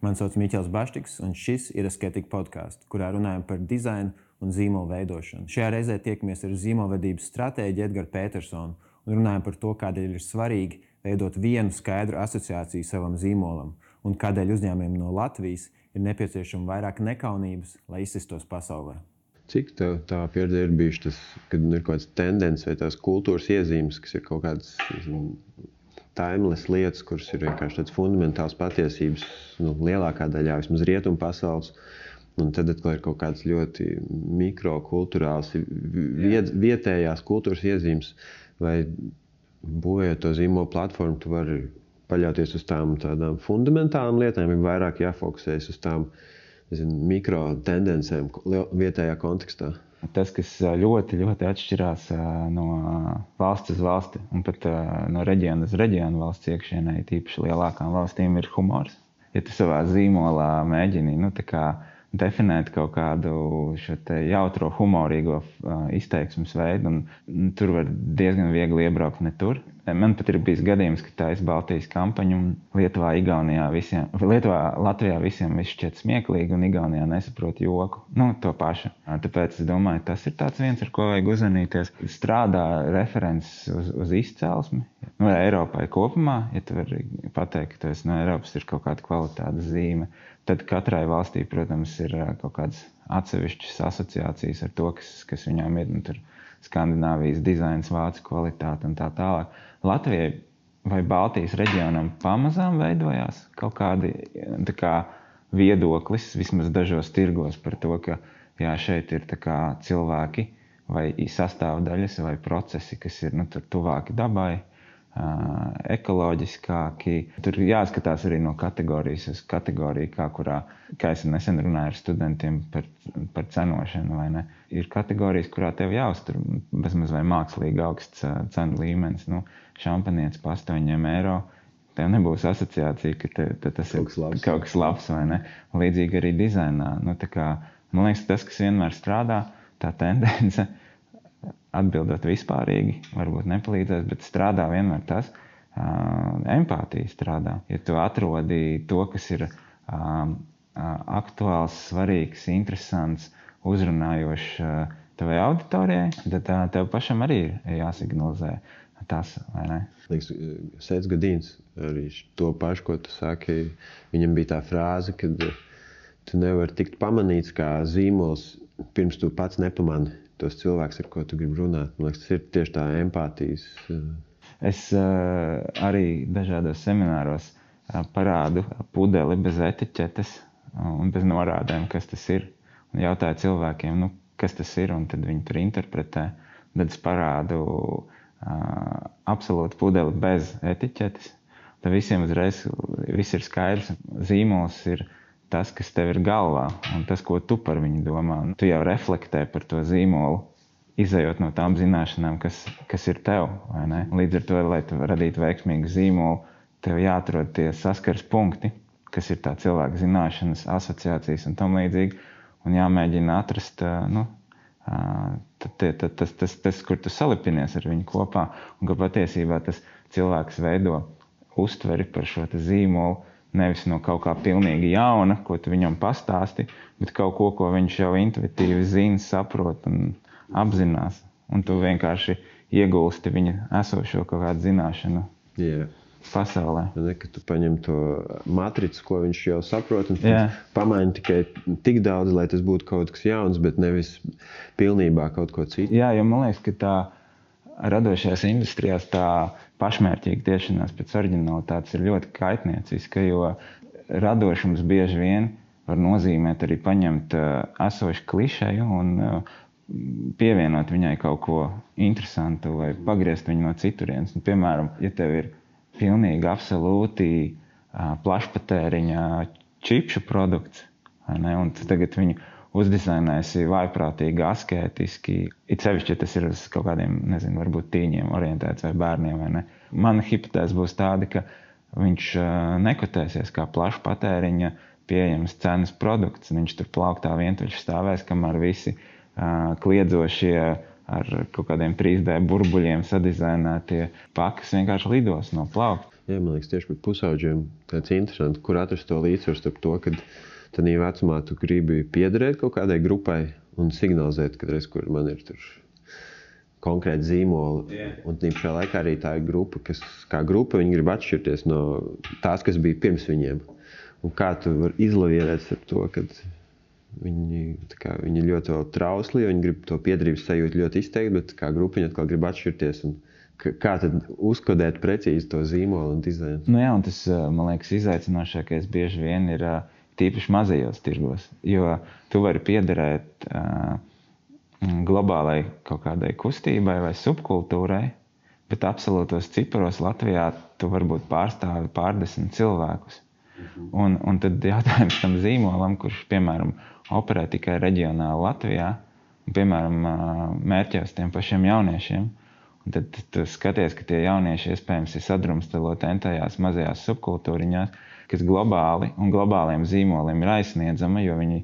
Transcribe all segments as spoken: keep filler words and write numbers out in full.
Mani sauc Miķels Baštiks, un šis ir Aesthetic podcasts, kurā runājam par dizainu un zīmolu veidošanu. Šajā reizē tiekamies ar zīmolvedības stratēģi Edgars Petersonu un runājam par to, kādēļ ir svarīgi veidot vienu skaidru asociāciju savam zīmolam un kādēļ uzņēmumiem no Latvijas ir nepieciešama vairāk nekaunības, lai izsistos pasaulē. Cik tev tā pieredze ir bijuši tas, kad ir kaut kāds tendence vai tās kultūras iezīmes, kas ir kaut kādas timeless lietas, kuras ir vienkārši tāds fundamentāls patiesības, nu, lielākā daļā vismaz rietumu pasaules, un tad atkal ir kaut kāds ļoti mikrokulturāls, viet, vietējās kultūras iezīmes, vai būvējot to zīmolu platformu, tu vari paļauties uz tām tādām fundamentālām lietām, ir vairāk jāfokusējas uz tām, nezinu, mikro tendencēm vietējā kontekstā. Tas, kas ļoti, ļoti atšķirās no valsts uz valsti un pat no reģiona uz reģionu valsts iekšienē, tīpaši lielākām valstīm, ir humors. Ja tu savā zīmolā mēģini, nu, tā kā definēt kaut kādu šo te jautro humorīgo izteiksmes veidu, un tur var diezgan viegli iebraukt ne tur. Man pat ir bijis gadījums, ka tā ir Baltijas kampaņa, un Lietuvā, Igaunijā visiem, Lietuvā, Latvijā visiem viss šķiet smieklīgi, un Igaunijā nesaprot joku. Nu, to pašu. Tāpēc es domāju, tas ir tāds viens, ar ko vajag uzmanīties. Strādā referents uz, uz izcelsmi. Nu, Eiropai kopumā, ja tu vari pateikt, ka tu esi no Eiropas, ir kaut kāda kvalitātes zīme, tad katrai valstī, protams, ir kaut kādas atsevišķas asociācijas ar to, kas, kas viņām ir, nu, tur Skandināvijas dizains, vācu kvalitāte un tā tālāk. Latvijai vai Baltijas reģionam pamazām veidojās kaut kādi tā kā viedoklis, vismaz dažos tirgos par to, ka jā, šeit ir tā kā cilvēki vai sastāvdaļas vai procesi, kas ir, nu, tur tuvāki dabai, ekoloģiskāki. Tur jāskatās arī no kategorijas uz kategoriju, kā kurā, kā es nesen runāju ar studentiem par, par cenošanu, vai ne. Ir kategorijas, kurā tev jāuztur bezmaz vai mākslīgi augsts cenu līmenis. Nu, šampanietis pa astoņiem eiro, tev nebūs asociācija, ka te, te tas kaut ir labs. kaut kas labs, vai ne. Līdzīgi arī dizainā. Nu, tā kā, man liekas, tas, kas vienmēr strādā, tā tendence, atbildot vispārīgi, varbūt nepalīdzēs, bet strādā vienmēr tas, uh, empātija strādā. Ja tu atrodi to, kas ir uh, uh, aktuāls, svarīgs, interesants, uzrunājošs uh, tavai auditorijai, tad uh, tev pašam arī ir jāsignalizē tas, vai ne? Liekas, Sēdz Gadīns arī to pašu, ko tu saki, viņam bija tā frāze, kad tu nevari tikt pamanīts kā zīmols, pirms tu pats nepamani tos cilvēks, ar ko tu gribi runāt. Man liekas, tas ir tieši tā empātijas. Es uh, arī dažādos semināros uh, parādu pudeli bez etiķetes un bez norādēm, kas tas ir. Un jautāju cilvēkiem, nu, kas tas ir, un tad viņi tur interpretē. Tad es parādu uh, absolūti pudeli bez etiķetes. Tad visiem uzreiz viss ir skaidrs. Zīmols ir tas, kas tev ir galvā, un tas, ko tu par viņu domā. Tu jau reflektē par to zīmolu, izejot no tām zināšanām, kas, kas ir tev, vai ne? Līdz ar to, lai tu radītu veiksmīgu zīmolu, tev jāatrod tie saskars punkti, kas ir tā cilvēka zināšanas, asociācijas un tam līdzīgi, un jāmēģina atrast, nu, tas, tas, tas, tas, kur tu salipinies ar viņu kopā, un ka patiesībā tas cilvēks veido uztveri par šo te zīmolu, nevis no kaut kā pilnīgi jauna, ko tu viņam pastāsti, bet kaut ko, ko viņš jau intuitīvi zina, saprot un apzinās. Un tu vienkārši iegulsti viņa esošo kaut kādu zināšanu Jā. pasaulē. Ne, ka tu paņem to matricu, ko viņš jau saprot, un Jā. pamaini tikai tik daudz, lai tas būtu kaut kas jauns, bet nevis pilnībā kaut ko citu. Jā, jo man liekas, ka tā radošajās industrijās tā pašmērķīga tiešanās pēc oriģinalitātes ir ļoti kaitnieciska, jo radošums bieži vien var nozīmēt arī paņemt esošu klišeju un pievienot viņai kaut ko interesantu vai pagriezt viņu no citurienes. Un, piemēram, ja tev ir pilnīgi absolūti plašpatēriņa čipšu produkts, vai ne, un tu tagad viņu uzdizainēsi vājprātīgi, askētiski, it sevišķi, ja tas ir uz kaut kādiem, nezinu, varbūt tīņiem orientēts vai bērniem, vai ne. Mana hipotēze būs tāda, ka viņš nekotēsies kā plašu patēriņa pieejams cenas produkts, un viņš tur plauktā vientuļš stāvēs, kamēr visi uh, kliedzošie ar kaut kādiem trīs D burbuļiem sadizainētie pakas vienkārši lidos no plaukta. Jā, man liekas, tieši par pusauģiem tāds interesanti, kur atrast to līdzsvaru starp to, kad tādā vecumā tu gribi piederēt kaut kādai grupai un signalizēt, kad reiz, kur man ir tur konkrēti zīmoli. Yeah. Un tīpašā laikā arī tā ir grupa, kas kā grupa, viņi grib atšķirties no tās, kas bija pirms viņiem. Un kā tu var izlavierēt ar to, kad viņi, tā kā, viņi ļoti vēl trausli, viņi grib to piederības sajūtu ļoti izteikt, bet kā grupa viņi atkal grib atšķirties. Un kā tad uzkodēt precīzi to zīmolu un dizainu? Nu jā, un tas, man liekas, izaicinošākais bieži vien ir tīpaši mazajos tirgos, jo tu vari piederēt uh, globālai kaut kādai kustībai vai subkultūrai, bet absolūtos ciparos Latvijā tu varbūt pārstāvi pārdesmit cilvēkus. Mhm. Un, un tad jautājums tam zīmolam, kurš, piemēram, operē tikai reģionāli Latvijā, un, piemēram, mērķēs tiem pašiem jauniešiem, un tad tu skaties, ka tie jaunieši iespējams ir sadrumstaloti entajās mazajās subkultūriņās, kas globāli un globāliem zīmoliem ir aizsniedzama, jo viņi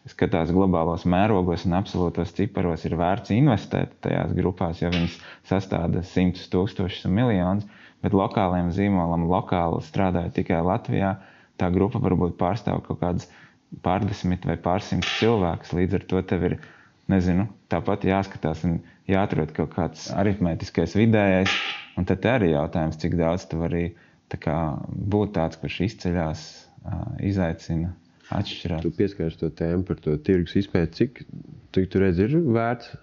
skatās globālos mērogos un absolūtos ciparos ir vērts investēt tajās grupās, jo viņas sastāda simtus tūkstošus un miljonus, bet lokāliem zīmolam lokāli strādāja tikai Latvijā, tā grupa varbūt pārstāv kaut kādas pārdesmit vai pārsimts cilvēkus, līdz ar to tev ir, nezinu, tāpat jāskatās un jāatrod kaut kāds aritmētiskais vidējais, un tad arī jautājums, cik daudz tu vari tā kā būt tāds, kurš izceļās, izaicina, atšķirās. Tu pieskārsi to tēmu par to tirgus izpēti, cik tu, tu redz, ir vērts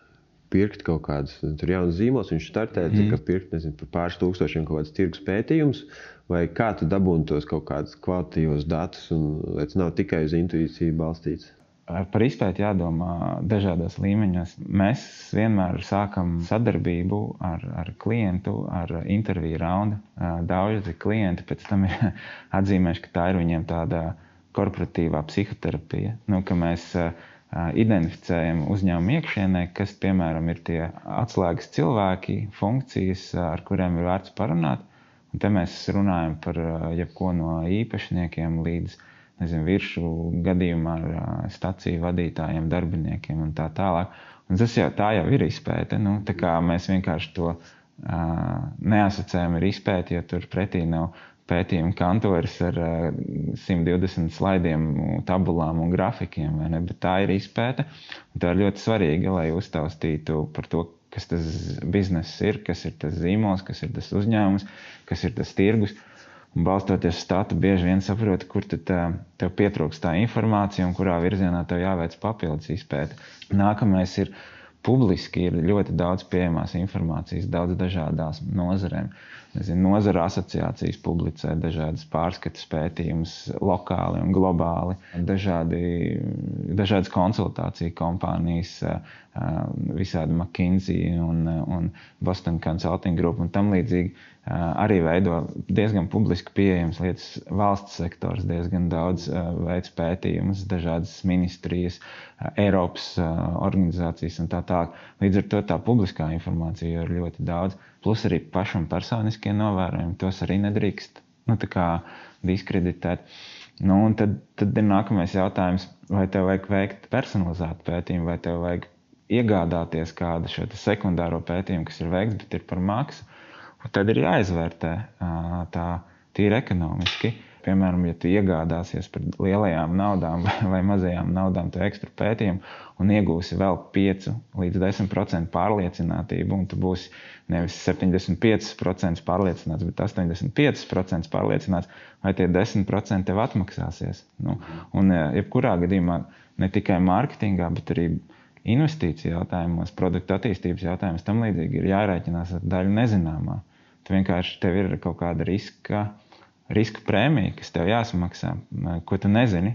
pirkt kaut kādas, tur jaunas zīmols, viņš startē, mm. cik pirkt, nezinu, par pāris tūkstošiem kaut kāds tirgus pētījums, vai kā tu dabūni tos kaut kādus kvalitatīvos datus, un lai tas nav tikai uz intuīciju balstīts? Par izpēti jādomā dažādos līmeņos. Mēs vienmēr sākam sadarbību ar, ar klientu, ar interviju raundu. Daudzi klienti pēc tam ir atzīmējuši, ka tā ir viņiem tāda korporatīvā psihoterapija, nu, ka mēs identificējam uzņēmumu iekšienē, kas, piemēram, ir tie atslēgas cilvēki, funkcijas, ar kuriem ir vērts parunāt. Un te mēs runājam par jebko no īpašniekiem līdz nezinu, viršu gadījumā ar staciju vadītājiem, darbiniekiem un tā tālāk. Un tas jau, tā jau ir izpēte. Nu, tā kā mēs vienkārši to uh, neasociējam ar izpēti, jo tur pretī nav pētījuma kantoris ar uh, simt divdesmit slaidiem, tabulām un grafikiem, vai ne? Bet tā ir izpēte. Un tā ir ļoti svarīga, lai uztaustītu par to, kas tas bizness ir, kas ir tas zīmols, kas ir tas uzņēmums, kas ir tas tirgus. Un balstoties statu, bieži vien saproti, kur tad tev pietrūkst tā informācija un kurā virzienā tev jāveic papildus izpēte. Nākamais ir publiski, ir ļoti daudz pieejamās informācijas, daudz dažādās nozarēm. Nezinu, nozara asociācijas publicē dažādas pārskatas pētījumus lokāli un globāli, dažādi, dažādas konsultāciju kompānijas, visādi McKinsey un, un Boston Consulting Group un tam līdzīgi. Arī veido diezgan publiski pieejams lietas, valsts sektors diezgan daudz veids pētījumus, dažādas ministrijas, Eiropas organizācijas un tā tālāk. Līdz ar to tā publiskā informācija ir ļoti daudz, plus arī pašam personiskie novērojumi, tos arī nedrīkst, nu, tā kā diskreditēt. Nu, un tad, tad ir nākamais jautājums, vai tev vajag veikt personalizētu pētījumu, vai tev vajag iegādāties kādu šo sekundāro pētījumu, kas ir veikts, bet ir par maksu. Tad ir jāizvērtē tā tīri ekonomiski. Piemēram, ja tu iegādāsies par lielajām naudām vai mazajām naudām to ekstra pētījumu un iegūsi vēl pieci līdz desmit procenti pārliecinātību, un tu būsi nevis septiņdesmit pieci procenti pārliecināts, bet astoņdesmit pieci procenti pārliecināts, vai tie desmit procenti tev atmaksāsies. Nu, un jebkurā gadījumā ne tikai mārketingā, bet arī investīciju jautājumos, produktu attīstības jautājumos, tam līdzīgi ir jārēķinās ar daļu nezināmā. Tu vienkārši tev ir kaut kāda riska, riska prēmija, kas tev jāsamaksā, ko tu nezini.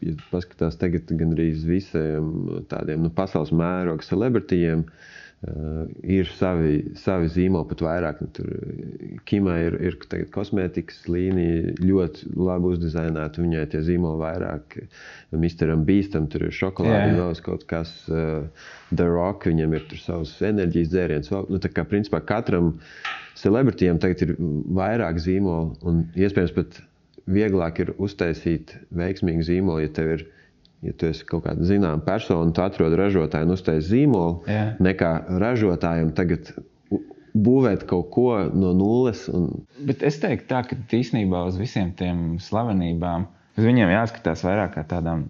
Ja paskatās tagad gan arī visiem tādiem nu, pasaules mēroga celebritijiem, uh, ir savi, savi zīmoli pat vairāk. Nu, tur Kimai ir, ir tagad kosmētikas līnija ļoti labi uzdizainēta, viņai tie zīmoli vairāk. misteram Beastam tur ir šokolādi, yeah. Vēl kaut kas, uh, The Rock, viņam ir tur savs enerģijas dzēriens. Nu, tā kā principā katram celebritijam tagad ir vairāk zīmoli, un iespējams pat vieglāk ir uztaisīt veiksmīgu zīmolu, ja tev ir, ja tu esi kaut kāda zināma persona, tu atrod ražotāju un uztais zīmolu, yeah. Nekā ražotājiem tagad būvēt kaut ko no nulles. Un... Bet es teiktu tā, ka īstenībā uz visiem tiem slavenībām, uz viņiem jāskatās vairāk kā tādām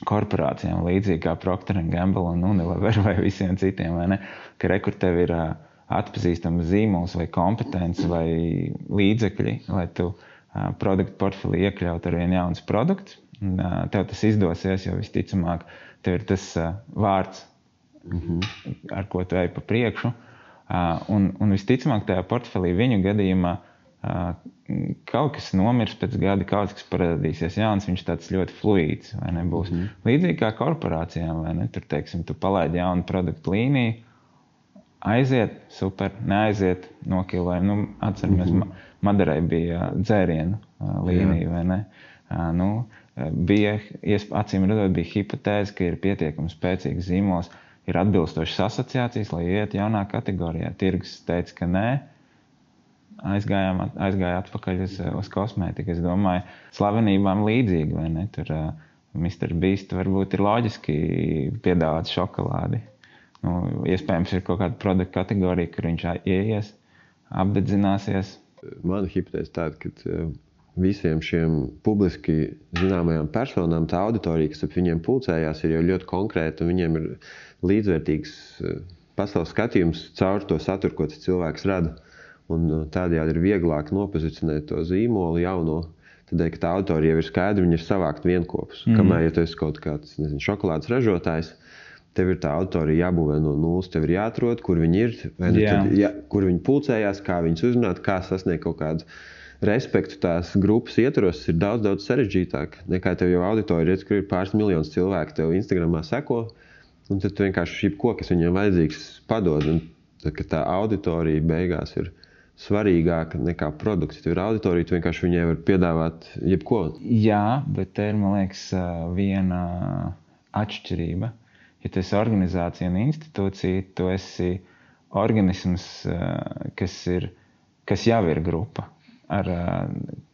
korporācijām, līdzīgi kā Procter and Gamble un Unilever vai visiem citiem, vai ne? Ka rekur tev ir uh, atpazīstams zīmols vai kompetence vai līdzekļi, lai tu uh, produktu portfelī iekļaut ar vien jauns produkts. Un, uh, tev tas izdosies, jo visticamāk tev ir tas uh, vārds, mm-hmm. ar ko tu ej pa priekšu. Uh, un, un visticamāk tajā portfelī viņu gadījumā uh, kaut kas nomirs pēc gada, kaut kas parādīsies jauns, viņš tāds ļoti fluīds, vai ne, būs. Mm. Līdzīgi kā korporācijām, vai ne, tur, teiksim, tu palaidi jaunu produktu līniju, aiziet, super, neaiziet, nokilvēji. Nu, atceramies, mm-hmm. Maderai bija dzērienu līnija, Jā. Vai ne? Nu, bija, acīm redzot, bija hipotēze, ka ir pietiekami spēcīgs zīmols, ir atbilstošas asociācijas, lai iet jaunā kategorijā. Tirgus teica, ka nē. Aizgājām, aizgāja atpakaļ uz, uz kosmētiku. Es domāju, slavenībām līdzīgi, vai ne? Tur uh, mister Beast varbūt ir loģiski piedāvāt šokolādi. Nu, iespējams, ir kaut kāda produkta kategorija, kur viņš ieies, apdedzināsies. Mana hipotēze tāda, ka visiem šiem publiski zināmajām personām tā auditorija, kas ap viņiem pulcējās, ir jau ļoti konkrēta, un viņiem ir līdzvērtīgs pasaules skatījums caur to saturu, ko tas cilvēks rada. Un tādējādi ir vieglāk nopozicionēt to zīmolu jauno, tādēļ, ka tā auditorija jau ir skaidra, viņi ir savākt vienkopus. Mm. Kamēr, ja tu esi kaut kāds, nezinu, šokolādes ražotājs, tev ir tā auditorija jābūvē no nulles, tev ir jāatrod, kur viņi ir, vai ne, tad, ja, kur viņi pulcējās, kā viņus uzrunāt, kā sasniegt kaut kādu respektu tās grupas ietvaros, ir daudz, daudz sarežģītāk. Nekā tev jau auditorija, redz, kur ir pāris miljonus cilvēku, tev Instagramā seko, un tad tu vienkārši šī ko, kas viņiem vajadzīgs, padod. Un tad, ka tā auditorija beigās ir svarīgāka nekā produkts. Ja tev ir auditorija, tu vienkārši viņai var piedāvāt jebko. Jā, bet te ir, man liekas, viena atšķirība. Ja tu esi organizācija un institūcija, tu esi organisms, kas, ir, kas jau ir grupa ar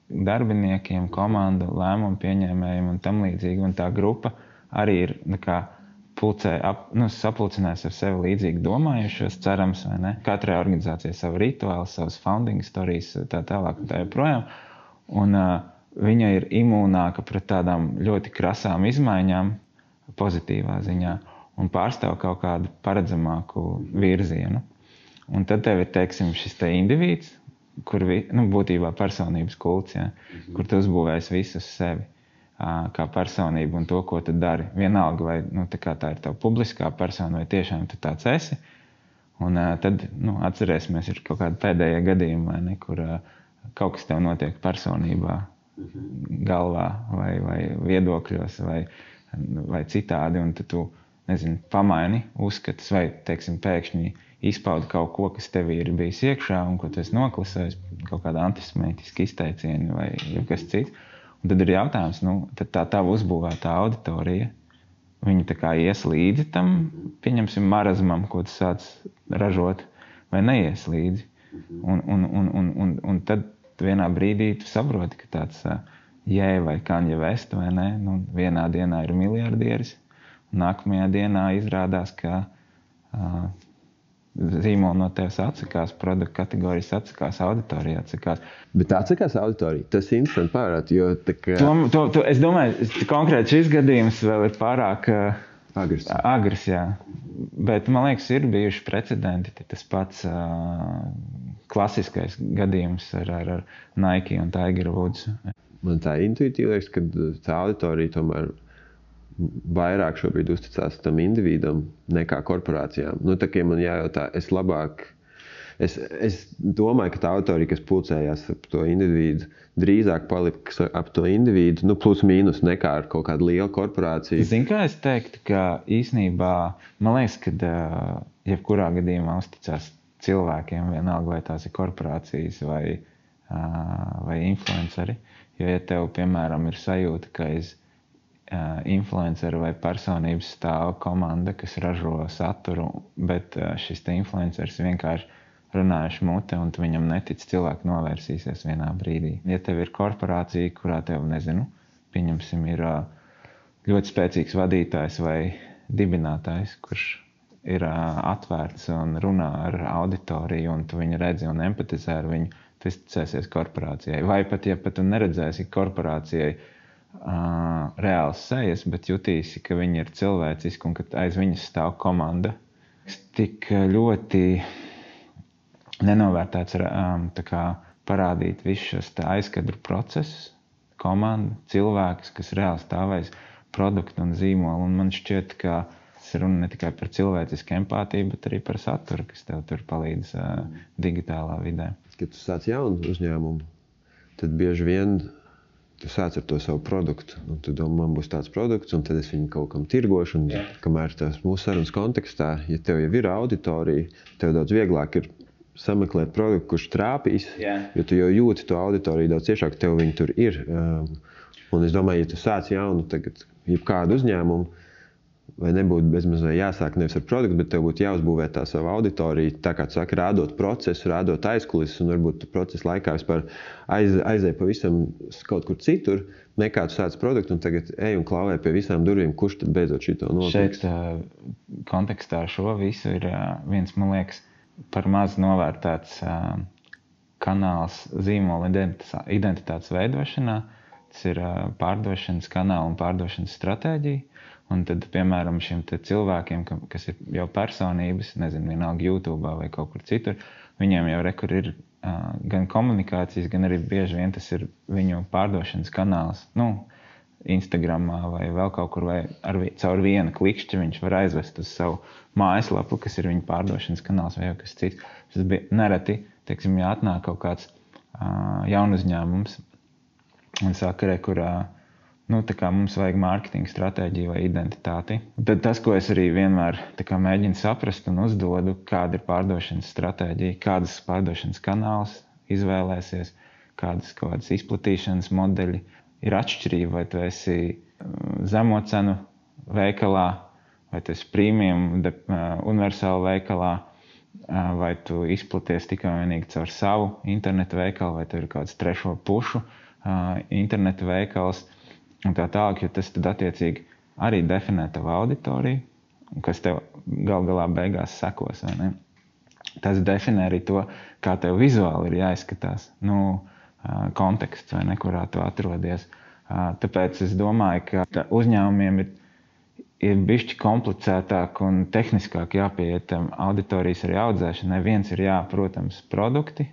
darbiniekiem, komandu, lēmumu pieņēmējiem un tam līdzīgi. Un tā grupa arī ir nekā pulcē, ap, nu, sapulcinās ar sevi līdzīgi domājušos, cerams, vai ne? Katrai organizācijai savu rituālu, savas founding stories, tā tālāk un tā joprojām. Un uh, viņa ir imūnāka pret tādām ļoti krasām izmaiņām pozitīvā ziņā un pārstāv kaut kādu paredzamāku virzienu. Un tad tev ir, teiksim, šis te indivīds, kur vi, nu, būtībā personības kults, ja, mm-hmm. kur tu uzbūvēs visus sevi kā personību un to, ko tu dari. Vienalga, vai nu, tā, tā ir tava publiskā persona, vai tiešām tu tāds esi. Un uh, tad, nu, atcerēsimies, ir kaut kāda pēdējā gadījuma, vai ne, kur uh, kaut kas tev notiek personībā, galvā vai, vai viedokļos vai, vai citādi, un tad tu, nezinu, pamaini uzskatus vai, teiksim, pēkšņi izpaudi kaut ko, kas tevī ir bijis iekšā un ko tu esi noklusējis, kaut kāda antisemītiska izteicieni vai kas cits. Un tad ir jautājums, nu, tad tā tava uzbūvētā auditorija, viņi tā kā ies līdzi tam, pieņemsim, marazmam, ko tu sāc ražot, vai neies līdzi. Un, un, un, un, un, un tad vienā brīdī tu saproti, ka tāds uh, Jē vai Kanye West, vai ne, nu, vienā dienā ir miljardieris, un nākamajā dienā izrādās, ka uh, zīmoli no tevis atsakās, produktu kategorijas atsakās, auditorija atsakās. Bet atsakās auditorija, tas ir interesanti pārāt, jo tā kā... To, to, to, es domāju, konkrēti šis gadījums vēl ir pārāk uh, agrs. agrs, jā. Bet, man liekas, ir bijuši precedenti, tas pats uh, klasiskais gadījums ar, ar, ar Nike un Tiger Woods. Man tā intuitīvi liekas, ka tā auditorija tomēr vairāk šobrīd uzticās tam individam nekā korporācijām. Nu, tā kā man jājautā, es labāk, es, es domāju, ka tā auditorija, kas pulcējās ap to individu, drīzāk paliks ap to individu, nu, plus mīnus nekā ar kaut kādu lielu korporāciju. Zin, kā es teiktu, ka īsnībā, man liekas, ka uh, jebkurā gadījumā uzticās cilvēkiem, vienalga vai tās ir korporācijas vai, uh, vai influenceri. Jo, ja tev, piemēram, ir sajūta, ka es Uh, influenceru vai personības stāv komanda, kas ražo saturu, bet uh, šis te influenceris vienkārši runājuši mute un tu viņam netic, cilvēki novērsīsies vienā brīdī. Ja tev ir korporācija, kurā tev, nezinu, pieņemsim, ir uh, ļoti spēcīgs vadītājs vai dibinātājs, kurš ir atvērts un runā ar auditoriju, un tu viņu redzi un empatizē ar viņu, tu izticēsies korporācijai. Vai pat, ja pat tu neredzēsi korporācijai uh, reāls sejas, bet jutīsi, ka viņi ir cilvēciski un ka aiz viņas stāv komanda. Tik ļoti nenovērtēts um, tā kā parādīt visus šos aizkadru procesus, komandu, cilvēkus, kas reāli stāvēs produktu un zīmolu. Un man šķiet, ka tas ir runa ne tikai par cilvēcisku empātiju, bet arī par saturu, kas tev tur palīdz uh, digitālā vidē. Kad tu sāc jaunu uzņēmumu, tad bieži vien tu sāc ar to savu produktu. Un tu domā, man būs tāds produkts, un tad es viņu kaut kam tirgošu. Un, yeah. Kamēr tās mūsu sarunas kontekstā, ja tev jau ir auditorija, tev daudz vieglāk ir sameklēt produktu, kurš trāpīs, yeah. Jo tu jau jūti to auditoriju daudz ciešāk, tev viņi tur ir. Um, un es domāju, ja tu sāc jaunu tagad jebkādu uzņēmumu, vai nebūtu bezmazliet jāsāk nevis ar produktu, bet tev būtu jāuzbūvē tā savu auditoriju, tā kā tu saki, rādot procesu, rādot aizkulises, un varbūt tu procesa laikā vispār aiz, aizēj pavisam kaut kur citur, nekā tu sāc produktu, un tagad ej un klauvē pie visām durvīm, kurš tad beidzot šito notiks. Šeit kontekstā šo visu ir viens, man liekas, par maz novērtēts kanāls zīmola identitātes veidošanā. Tas ir pārdošanas kanāla un pārdošanas stratēģija. Un tad, piemēram, šiem te cilvēkiem, kas ir jau personības, nezinu, vienalga YouTube vai kaut kur citur, viņiem jau rekur ir uh, gan komunikācijas, gan arī bieži vien tas ir viņu pārdošanas kanāls. Nu, Instagramā vai vēl kaut kur, vai ar, caur vienu klikšķi viņš var aizvest uz savu mājaslapu, kas ir viņa pārdošanas kanāls vai jau kas cits. Tas bija nereti, teiksim, ja atnāk kaut kāds uh, jaunuzņēmums un saka, re, kur uh, nu, tā kā mums vajag mārketinga stratēģiju vai identitāti. Tad tas, ko es arī vienmēr tā kā mēģinu saprast un uzdodu, kāda ir pārdošanas stratēģija, kādas pārdošanas kanāls izvēlēsies, kādas kaut kādas izplatīšanas modeļi. Ir atšķirība, vai tu esi zemo cenu veikalā, vai tu esi premium de, universāla veikalā, vai tu izplaties tikai vienīgi caur savu internetu veikalu, vai tu ir kāds trešo pušu internetu veikals. Un tā tālāk, jo tas tad attiecīgi arī definē tavu auditoriju, kas tev gal galā beigās sekos, vai ne? Tas definē arī to, kā tev vizuāli ir jāizskatās, nu, konteksts, vai ne, kurā tu atrodies. Tāpēc es domāju, ka uzņēmumiem ir, ir bišķi komplicētāk un tehniskāk jāpieiet auditorijas arī audzēšanai. Viens ir jā, protams, produkti,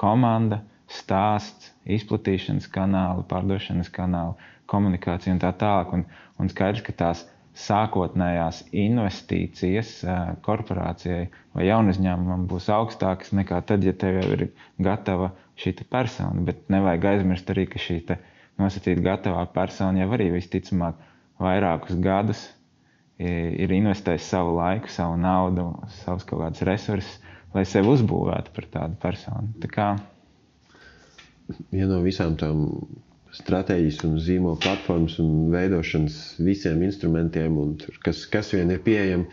komanda, stāsts, izplatīšanas kanāli, pārdošanas kanāli, komunikācija un tā tālāk. Un, un skaidrs, ka tās sākotnējās investīcijas korporācijai vai jaunuzņēmumam būs augstākas nekā tad, ja tev jau ir gatava šī persona. Bet nevajag aizmirst arī, ka šī nosacīta gatavā persona jau arī visticamāk vairākus gadus ir investējis savu laiku, savu naudu, savus kaut kādus resursus, lai sevi uzbūvētu par tādu personu. Tā kā viena no visām tām stratēģijas un zīmola platformas un veidošanas visiem instrumentiem, un kas, kas vien ir pieejami,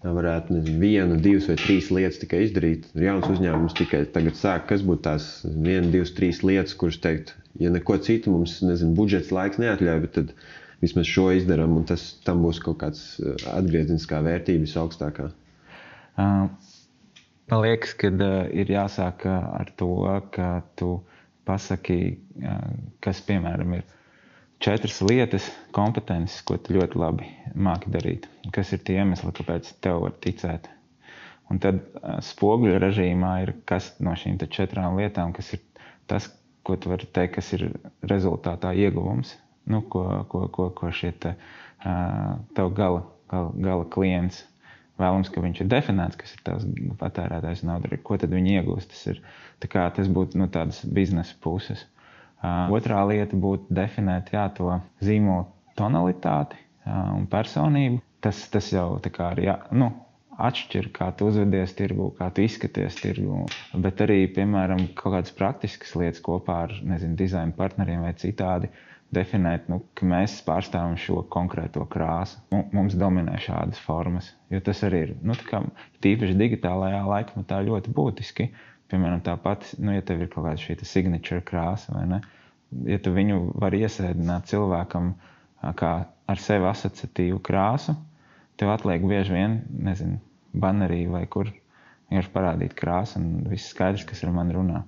varētu nezinu, vienu, divas vai trīs lietas tikai izdarīt. Jauns uzņēmums tikai tagad sāk, kas būtu tās viena, divas, trīs lietas, kuras teikt, ja neko citu mums, nezinu, budžets laiks neatļauj, bet tad vismaz šo izdaram, un tas, tam būs kaut kāds atgriezeniskā vērtība visaugstākā. Uh, man liekas, ka uh, ir jāsāk ar to, ka tu pasaki, kas, piemēram, ir četras lietas, kompetences, ko tu ļoti labi māki darīt. Kas ir tie iemesli, kāpēc tev var ticēt. Un tad spoguļu režīmā ir kas no šīm te četrām lietām, kas ir tas, ko tu vari teikt, kas ir rezultātā ieguvums. Nu, ko, ko, ko, ko šie te, tev gala, gala, gala klients vēlams, ka viņš ir definēts, kas ir tavs patērētājs nauda, ko tad viņi iegūst. Tas ir, tā kā tas būtu no tādas biznesa puses. Uh, otrā lieta būtu definēt, jā, to zīmola tonalitāti uh, un personību. Tas, tas jau tā kā arī, jā, nu, atšķir, kā tu uzvedies tirgu, kā tu izskaties tirgu, bet arī, piemēram, kaut kādas praktiskas lietas kopā ar, nezinu, dizaina partneriem vai citādi, definēt, nu, ka mēs pārstāvam šo konkrēto krāsu. Mums dominē šādas formas, jo tas arī ir, nu, tā kā tīpaši digitālajā laikmetā ļoti būtiski. Piemēram, tāpat, nu, ja tev ir kaut kāda šī signature krāsa, vai ne, ja tu viņu var iesēdināt cilvēkam kā ar sevi asociatīvu krāsu, tev atliek bieži vien, nezinu, banerī vai kur vienkārši parādīt krāsu un viss skaidrs, kas ar mani runā.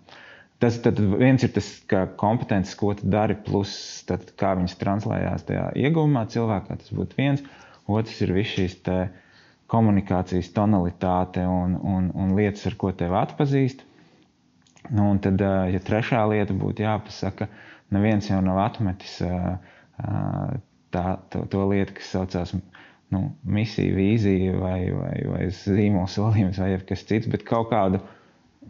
Tas tad viens ir tas, kā kompetences, ko tu dari, plus tad, kā viņas translējās tajā ieguvumā cilvēkā, tas būtu viens. Otrs ir viss šīs te komunikācijas tonalitāte un, un, un lietas, ar ko tev atpazīst. Nu, un tad, ja trešā lieta būtu jāpasaka, neviens jau nav atmetis tā, to, to lietu, kas saucās nu, misija, vīzija vai, vai, vai zīmola solījums vai kas cits, bet kaut kādu,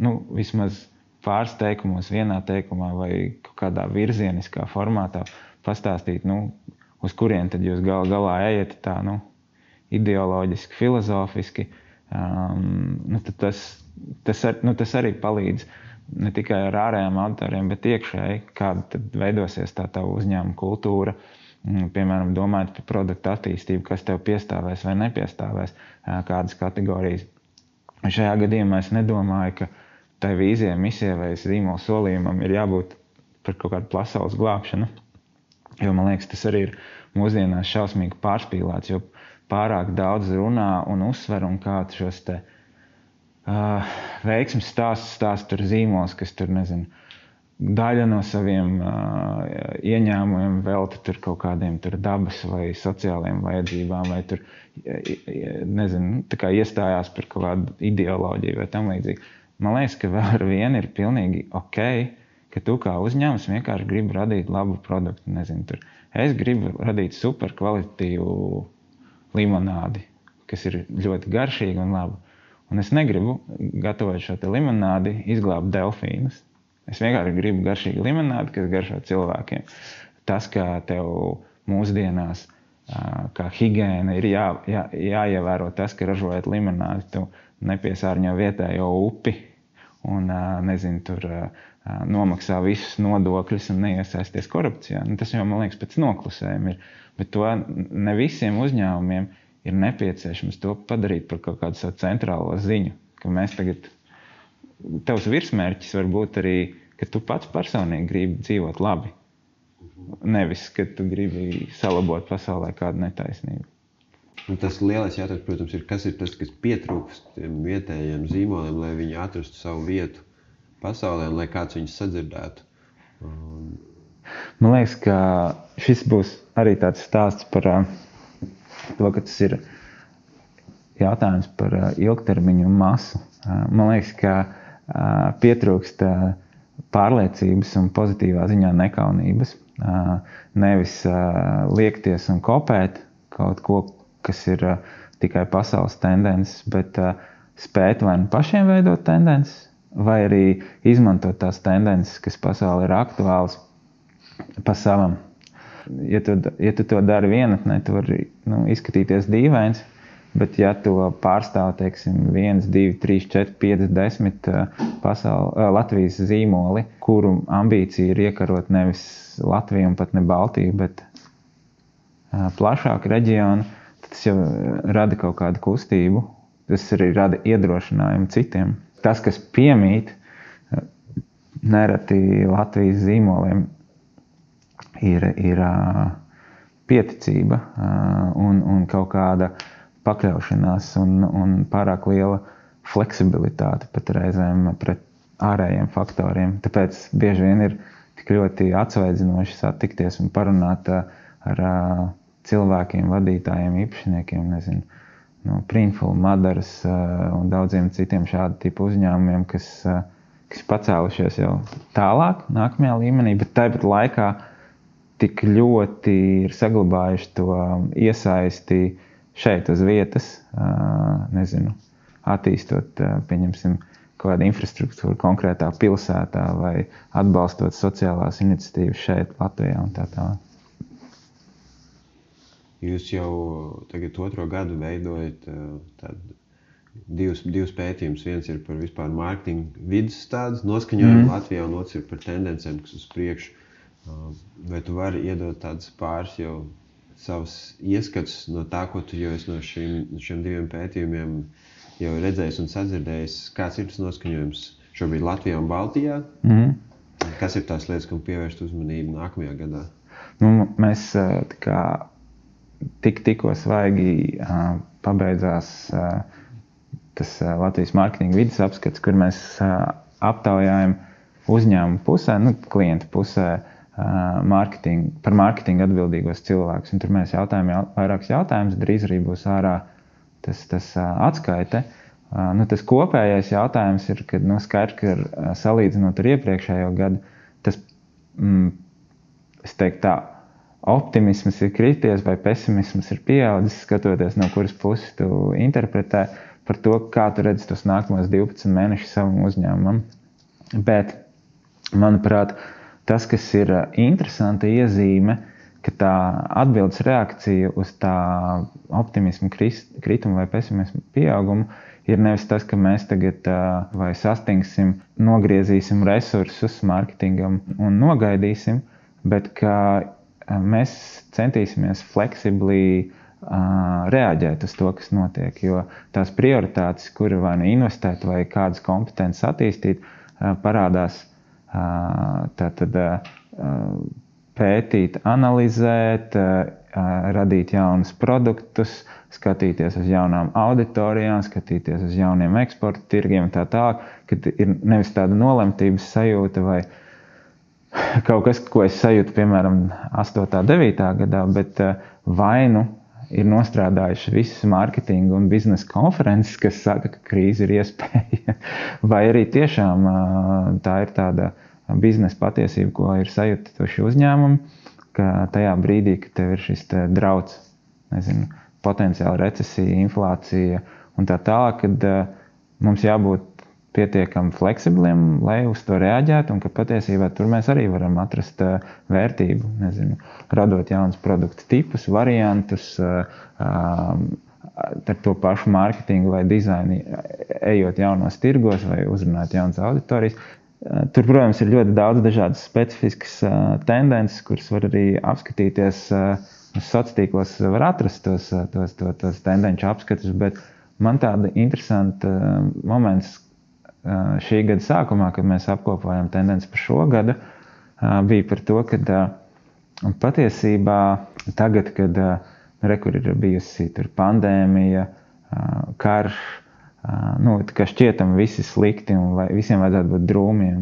nu, vismaz pāris teikumos, vienā teikumā vai kaut kādā virzieniskā formātā pastāstīt, nu, uz kurien tad jūs gal, galā ejat tā, nu, ideoloģiski, filozofiski, um, nu, tad tas, tas, ar, nu, tas arī palīdz ne tikai ar ārējām auditoriem, bet iekšēji, kāda tad veidosies tā tavu uzņēmuma kultūra, piemēram, domājot par produktu attīstību, kas tev piestāvēs vai nepiestāvēs, kādas kategorijas. Šajā gadījumā es nedomāju, ka tai vīzijai, misijai vai zīmola solījumam ir jābūt par kaut kādu pasaules glābšanu, jo, man liekas, tas arī ir mūsdienās šausmīgi pārspīlēts, jo pārāk daudz runā un uzsver un kā šos te Uh, veiksmes stāsts stāst tur zīmols, kas tur, nezinu, daļa no saviem uh, ieņēmumiem velta tur kaut kādiem tur dabas vai sociālajiem vajadzībām, vai tur, nezinu, tā kā iestājās par kaut kādu ideoloģiju vai tam līdzīgi. Man liekas, ka vēl ar vienu ir pilnīgi ok, ka tu kā uzņēmums vienkārši gribi radīt labu produktu, nezinu, tur. Es gribu radīt super kvalitatīvu limonādi, kas ir ļoti garšīga un laba. Un es negribu, gatavot šo te limonādi, izglābt delfīnus. Es vienkārši gribu garšīgu limonādi, kas garšo cilvēkiem. Tas, kā tev mūsdienās, kā higiēna, ir jā, jā, jāievēro tas, ka ražojot limonādi, tu nepiesārņo vietējo upi un, nezinu, tur nomaksā visus nodokļus un neiesaisties korupcijā. Nu, tas jau, man liekas, pēc noklusējuma ir. Bet to ne visiem uzņēmumiem ir nepieciešams to padarīt par kaut kādu savu centrālo ziņu, ka mēs tagad, tavs virsmērķis var būt arī, ka tu pats personīgi gribi dzīvot labi, nevis, ka tu gribi salabot pasaulē kādu netaisnību. Un tas lielais jautājums, protams, ir, kas ir tas, kas pietrūkst tiem vietējiem zīmoliem, lai viņi atrastu savu vietu pasaulē un lai kāds viņus sadzirdētu. Un... Man liekas, ka šis būs arī tāds stāsts par to, ka tas ir jautājums par ilgtermiņu masu. Man liekas, ka pietrūkst pārliecības un pozitīvā ziņā nekaunības. Nevis liekties un kopēt kaut ko, kas ir tikai pasaules tendences, bet spēt vai nu pašiem veidot tendences, vai arī izmantot tās tendences, kas pasaulē ir aktuāls pa savam. Ja tu, ja tu to dari vienatnē, tu vari nu, izskatīties dīvains, bet ja to pārstāv, teiksim, viens, divi, trīs, četri, pieci, desmit pasauli, Latvijas zīmoli, kuru ambīcija ir iekarot nevis Latviju un pat ne Baltiju, bet plašāku reģionu, tas jau rada kaut kādu kustību, tas arī rada iedrošinājumu citiem. Tas, kas piemīt nereti Latvijas zīmoliem, ir, ir pieticība un, un kaut kāda pakļaušanās un, un pārāk liela fleksibilitāte pat reizēm pret ārējiem faktoriem. Tāpēc bieži vien ir tik ļoti atsvaidzinoši satikties un parunāt ar cilvēkiem, vadītājiem, īpašniekiem, nezinu, no Printful, Madaras un daudziem citiem šādu tipu uzņēmumiem, kas, kas pacēlušies jau tālāk, nākamajā līmenī, bet tāpat laikā tik ļoti ir saglabājuši to iesaisti šeit uz vietas, nezinu, attīstot, pieņemsim, kaut kādu infrastruktūru konkrētā pilsētā vai atbalstot sociālās iniciatīvas šeit, Latvijā un tā tālāk. Jūs jau tagad otro gadu veidojat tādu divus, divus pētījumus. Viens ir par vispār mārketinga vidas tādas noskaņojumu mm. Latvijā, un otrs ir par tendencēm, kas uz priekšu. Vai tu vari iedot tādas pāris jau savas ieskatus no tā, ko tu jau esi no šiem, šiem diviem pētījumiem jau redzējis un sadzirdējis? Kāds ir tas noskaņojums šobrīd Latvijā un Baltijā? Mm. Kas ir tās lietas, kam pievērst uzmanību nākamajā gadā? Nu, mēs tā kā tik, tikko svaigi uh, pabeidzās uh, tas uh, Latvijas mārketinga vides apskats, kur mēs uh, aptaujājam uzņēmumu pusē, nu, klientu pusē uh, marketing, par mārketingu atbildīgos cilvēkus. Un tur mēs jautājam jau, vairākus jautājumus, drīz arī būs ārā tas, tas uh, atskaite. Uh, nu, tas kopējais jautājums ir, kad nu, skaidrs, ka uh, salīdzinot ar iepriekšējo gadu, tas, mm, es teiktu tā, optimisms ir krities vai pesimisms ir pieaudzis, skatoties no kuras puses tu interpretē par to, kā tu redzi tos nākamos divpadsmit mēnešus savam uzņēmumam. Bet, manuprāt, tas, kas ir interesanta iezīme, ka tā atbildes reakcija uz tā optimismu kritumu vai pesimismu pieaugumu ir nevis tas, ka mēs tagad vai sastingsim, nogriezīsim resursus mārketingam un nogaidīsim, bet ka mēs centīsimies fleksibli uh, reaģēt uz to, kas notiek, jo tās prioritātes, kuri vai nu investēt vai kādas kompetences attīstīt, uh, parādās uh, tātad uh, pētīt, analizēt, uh, radīt jaunus produktus, skatīties uz jaunām auditorijām, skatīties uz jauniem eksporta tirgiem un tā tālāk, kad ir nevis tāda nolemtības sajūta vai kaut kas, ko es sajūtu, piemēram, astotā, devītā gadā, bet vai nu ir nostrādājuši visas mārketinga un biznesa konferences, kas saka, ka krīze ir iespēja, vai arī tiešām tā ir tāda biznesa patiesība, ko ir sajutuši uzņēmumi, ka tajā brīdī, kad tev ir šis te drauds, nezinu, potenciāla recesija, inflācija un tā tālāk, kad mums jābūt pietiekami fleksibliem, lai uz to reaģētu, un ka patiesībā tur mēs arī varam atrast uh, vērtību, nezinu, radot jaunus produktu tipus, variantus, uh, uh, ar to pašu mārketingu vai dizaini, ejot jaunos tirgos vai uzrunāt jaunas auditorijas. Uh, tur, protams, ir ļoti daudz dažādas specifiskas uh, tendences, kuras var arī apskatīties uh, uz sociālos tīklos, var atrast tos, tos, tos, tos tendenču apskatus, bet man tāda interesanta uh, moments, šī gada sākumā, kad mēs apkopojam tendenci par šo gadu, bija par to, ka patiesībā tagad, kad rekur ir bijusi tur pandēmija, karš, nu, ka šķietam visi slikti un vai visiem vajadzētu būt drūmiem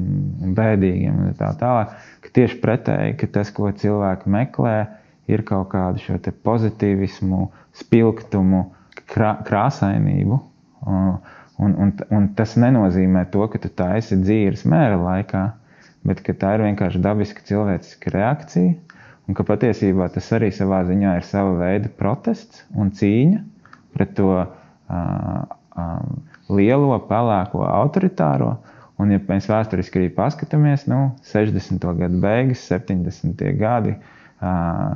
un bēdīgiem un tā tālāk, ka tieši pretēji, ka tas, ko cilvēki meklē, ir kaut kādu šo te pozitīvismu, spilgtumu, krā, krāsainību. Un, un, un tas nenozīmē to, ka tu taisi dzīves mēra laikā, bet ka tā ir vienkārši dabiska cilvēciska reakcija, un ka patiesībā tas arī savā ziņā ir sava veida protests un cīņa pret to uh, uh, lielo, pelēko, autoritāro. Un ja mēs vēsturiski arī paskatāmies, nu, sešdesmito gadu beigas, septiņdesmitie gadi, uh,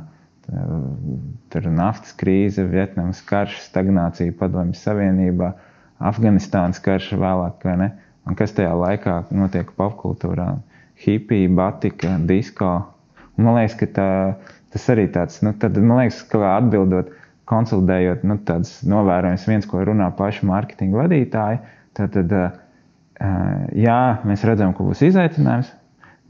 tur naftas krīze, Vietnamas karš, stagnācija Padomju Savienībā, Afganistānas karš vēlāk, vai ne? Un kas tajā laikā notiek popkultūrā? Hipija, batika, disko. Un man liekas, ka tā, tas arī tāds, nu, tad, man liekas, ka atbildot, konsolidējot, nu, tāds novērojums viens, ko runā paši mārketinga vadītāji, tad, tad, jā, mēs redzam, ka būs izaicinājums,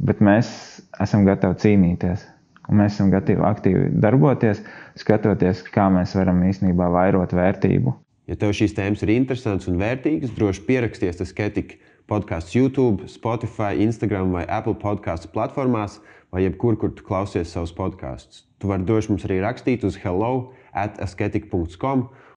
bet mēs esam gatavi cīnīties. Un mēs esam gatavi aktīvi darboties, skatoties, kā mēs varam īstenībā vairot vērtību. Ja tev šīs tēmas ir interesantas un vērtīgas, droši pieraksties Asketika podcasts YouTube, Spotify, Instagram vai Apple podcastu platformās vai jebkur, kur tu klausies savus podkastus. Tu vari droši mums arī rakstīt uz hello at asketika dot com